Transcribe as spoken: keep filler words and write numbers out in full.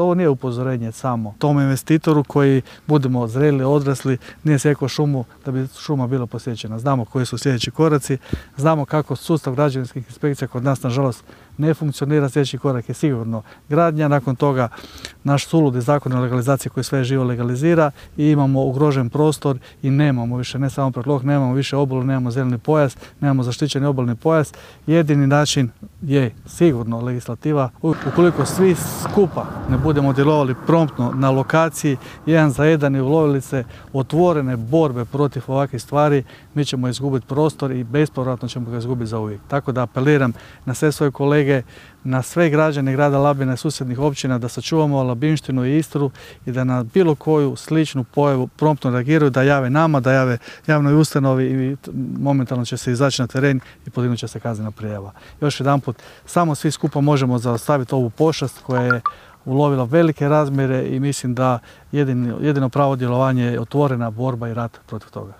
To ovo nije upozorenje samo tom investitoru koji budemo zreli, odrasli, nije sjekao šumu da bi šuma bila posjećena. Znamo koji su sljedeći koraci, znamo kako sustav građevinskih inspekcija kod nas nažalost ne funkcionira. Sljedeći korak je sigurno gradnja, nakon toga naš suludi zakon o legalizaciji koji sve živo legalizira i imamo ugrožen prostor i nemamo više, ne samo predlog, nemamo više obalu, nemamo zeleni pojas, nemamo zaštićeni obalni pojas. Jedini način je sigurno legislativa. Ukoliko svi skupa ne budemo djelovali promptno na lokaciji, jedan za jedan i ulovili se otvorene borbe protiv ovakvih stvari, mi ćemo izgubiti prostor i bespovratno ćemo ga izgubiti za uvijek. Tako da apeliram na sve svoje kolege, na sve građane grada Labina i susjednih općina da sačuvamo Labinštinu i Istru i da na bilo koju sličnu pojavu promptno reagiraju, da jave nama, da jave javnoj ustanovi i momentalno će se izaći na teren i podignut će se kaznena prijava. Još jedanput, samo svi skupa možemo zaustaviti ovu pošast koja je ulovila velike razmjere i mislim da jedino, jedino pravo djelovanje je otvorena borba i rat protiv toga.